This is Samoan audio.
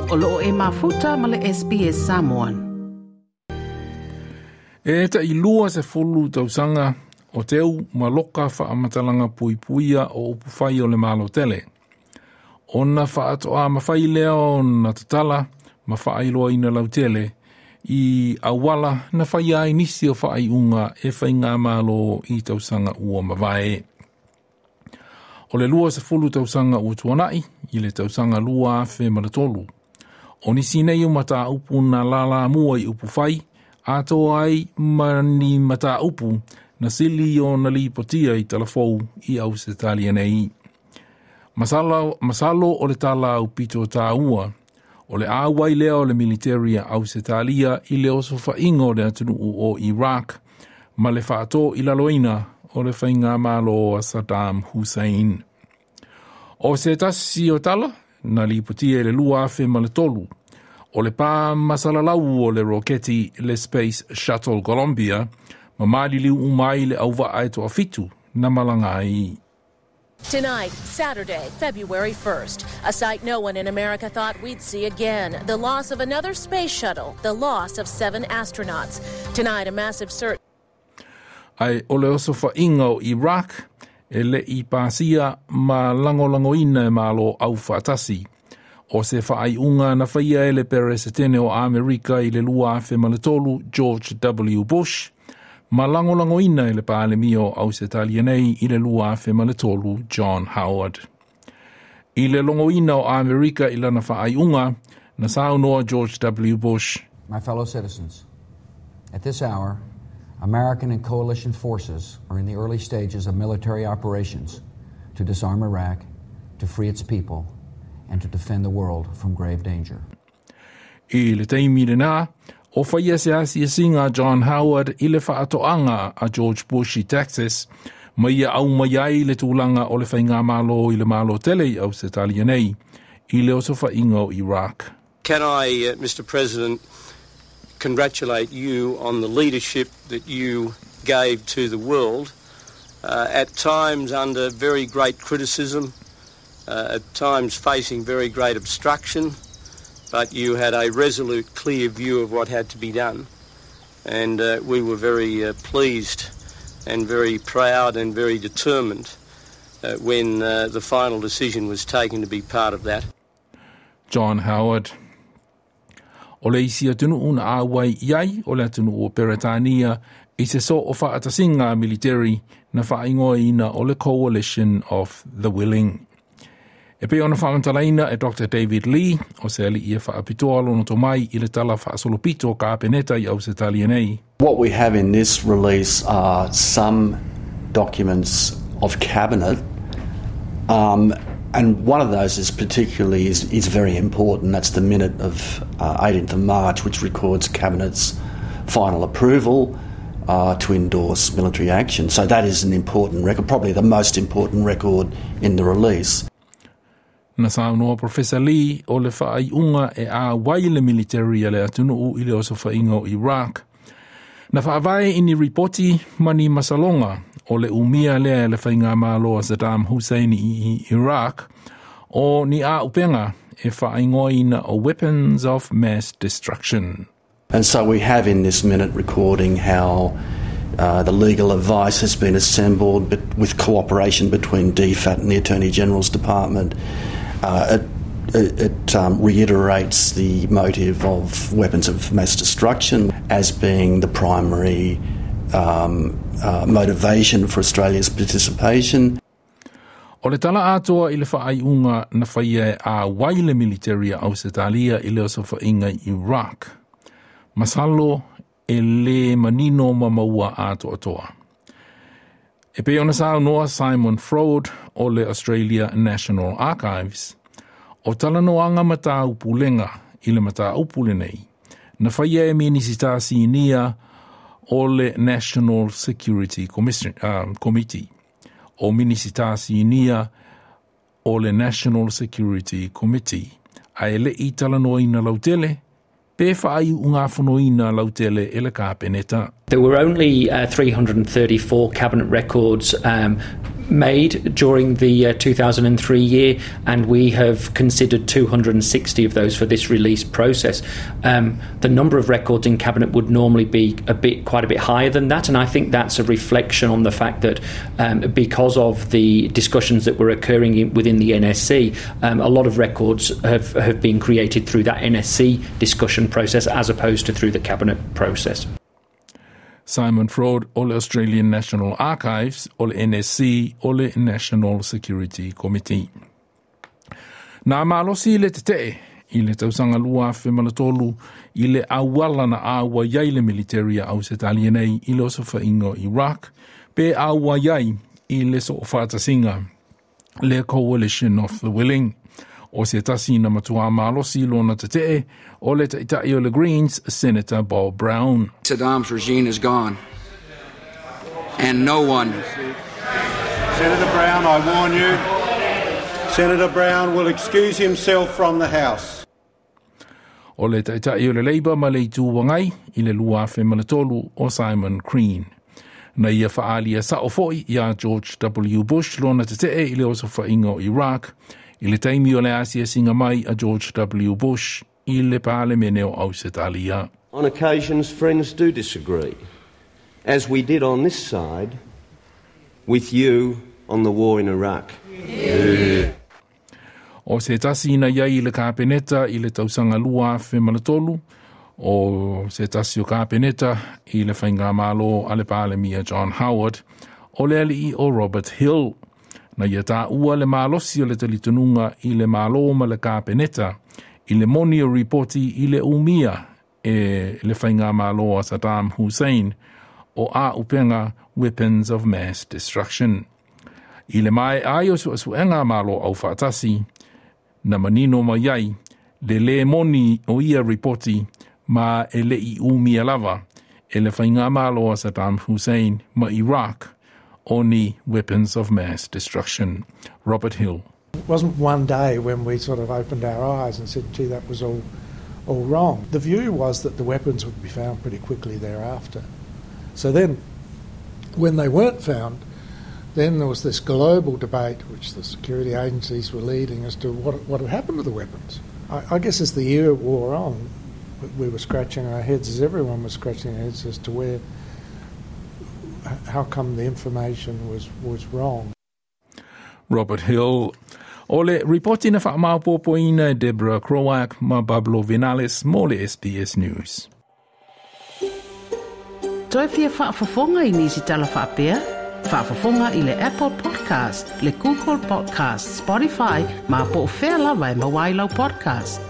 O loo e mafuta ma le SBS Samoan. E tai 20 tausaga o teu ma loka faamatalaga puipuia o upufai o le Malo tele. Ona faatoa mafai lea ona tatala ma faailoaina lautele i auala na faia ai nisi o faaiuga e faigamalo i tausaga ua mavae. O le 20 tausaga ua tuanai i le tausaga 2003. O nisi nei o mataupu na lalamua i upufai, atoa ai ma ni mataupu na sili ona lipotia i talafou i Ausetalia nei. Masalo, masalo o le tala aupito tāua, o le auai lea o le militeri a Ausetalia i le osofaiga o le atunuu o Iraq, ma le faato i laloina o le faigamalo a Saddam Hussein. O se tasi o tala, na lipotia i le 2003, o le pā masalalau o le roketi le Space Shuttle Columbia, ma maliliu uma ai le auvaa e toafitu na malaga ai. Tonight, Saturday, February 1st, a sight no one in America thought we'd see again. The loss of another space shuttle, the loss of seven astronauts. Tonight, a massive search. Ae o le osofaiga o Iraq e le i pasia ma lagoalagoina e malo aufaatasi. O se faaiuga na faia e le Peresetene o Amerika i le 2003 George W. Bush, ma lagolagoina e le Palemia o Ausetalia nei i le 2003 John Howard. I le logoina o Amerika i lana faaiuga, na saunoa George W. Bush. My fellow citizens, at this hour, American and coalition forces are in the early stages of military operations to disarm Iraq, to free its people, and to defend the world from grave danger. I le taimi lena, o faia se asiasiga John Howard i le faatoaga a George Bush i Texas, ma ia aumai ai le tulaga o le faigamalo i le malo tele i Ausetalia nei, i le osofaiga o Iraq. Can I, Mr. President, congratulate you on the leadership that you gave to the world, at times under very great criticism, at times facing very great obstruction, but you had a resolute, clear view of what had to be done. And we were very pleased and very proud and very determined when the final decision was taken to be part of that. John Howard. O le isi atunuu na auai i ai o le atunuu o Peretania i se so o faatasiga militeri na faaigoaina o le Coalition of the Willing. E pei ona faamatalaina e Dr. David Lee, o se alii e faapitoa lona tomai i le tala faasolopito kapeneta i Ausetalia nei. What we have in this release are some documents of cabinet, and one of those is particularly is very important. That's the minute of 18th of March, which records cabinet's final approval to endorse military action. So that is an important record, probably the most important record in the release. Na saunoa Professor Lee o le faaiuga e auai le militeri a le atunuu i le osofaiga o Iraq. Na faavae i ni ripoti ma ni masaloga o le umia lea e le faigamalo a Saddam Hussein i Iraq o ni auupega e faaigoaina o weapons of mass destruction. And so we have in this minute recording how the legal advice has been assembled but with cooperation between DFAT and the Attorney General's Department. It reiterates the motive of weapons of mass destruction as being the primary motivation for Australia's participation. O le tala atoa i le faaiuga na faia e auai le militeri a Ausetalia i le osofaiga i Iraq. Masalo e le manino ma maua atoatoa. E pei ona saunoa Simon Froude o le Australia National Archives, o talanoaga mataupulega i le mataupu lenei, na faia e Minisita Sinia o le National Security Commission, Committee. O Minisita Sinia o le National Security Committee, ae le i talanoaina lautele, pe faaiugafonoina lautele e le kapeneta. There were only 334 cabinet records made during the 2003 year, and we have considered 260 of those for this release process. The number of records in Cabinet would normally be quite a bit higher than that, and I think that's a reflection on the fact that because of the discussions that were occurring within the NSC, a lot of records have been created through that NSC discussion process as opposed to through the Cabinet process. Simon Ford o le Australian National Archives, o le NSC, o le National Security Committee. Na malosi le tete'e i le tausaga 2003 i le auala na auai ai le military a Ausetalia nei i le osofaiga o Iraq, pe auai ai i le soofaatasiga le Coalition of the Willing. O se tasi na matuā malosi lona tete'e o le ta'ita'i o le Greens, Senator Bob Brown. Saddam's regime is gone, and no one... Senator Brown, I warn you. Senator Brown will excuse himself from the House. O le ta'ita'i o le Labour ma le Itu Agai i le 2003 o Simon Crean. Na ia fa'aalia sa'o fo'i iā George W. Bush lona tete'e i le osofaiga o Iraq i le taimi o le asiasiga mai a George W. Bush i le Palemene o Ausetalia. On occasions, friends do disagree, as we did on this side with you on the war in Iraq. Yeah. O se tasi na iai i le Kapeneta i le tausaga 2003, o se tasi o Kapeneta i le Faigamalo a le Palemia John Howard, o le alii o Robert Hill. Na ia tāua le malosi o le talitonuga i le Malo ma le Kapeneta i le moni o ripoti i le umia e le Faigamalo a Saddam Hussein o āupenga Weapons of Mass Destruction. I le maea ai o suesuega a Malo Aufaatasi, na manino mai ai le lē moni o ia ripoti ma e le'i umia lava e le Faigamalo a Saddam Hussein ma Iraq o ni weapons of mass destruction. Robert Hill. It wasn't one day when we sort of opened our eyes and said, gee, that was all wrong. The view was that the weapons would be found pretty quickly thereafter. So then, when they weren't found, then there was this global debate, which the security agencies were leading, as to what had happened to the weapons. I guess as the year wore on, we were scratching our heads, as everyone was scratching their heads, as to where, how come the information was wrong. Robert Hill. O le ripoti na faamaopoopoina e Deborah Croak ma Pablo Vinales mo le SBS News. Toe fia faafofoga i nisi tala faapea? Faafofoga i le Apple Podcast, le Google Podcast, Spotify, ma po o fea lava e maua ai lau podcast.